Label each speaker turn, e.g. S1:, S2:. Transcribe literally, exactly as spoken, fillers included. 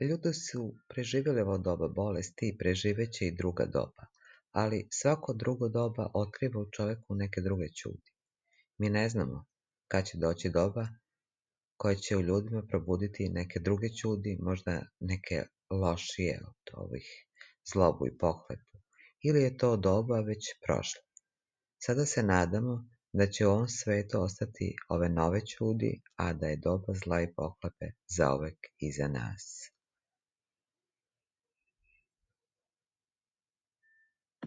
S1: Ljudi su preživjeli ovo doba bolesti i preživeće i druga doba, ali svako drugo doba otkriva u čoveku neke druge ćudi. Mi ne znamo kad će doći doba koje će u ljudima probuditi neke druge ćudi, možda neke lošije od ovih zlobu i pohlepu, ili je to doba već prošlo. Sada se nadamo da će u ovom svetu ostati ove nove ćudi, a da je doba zla i pohlepe zauvek iza nas.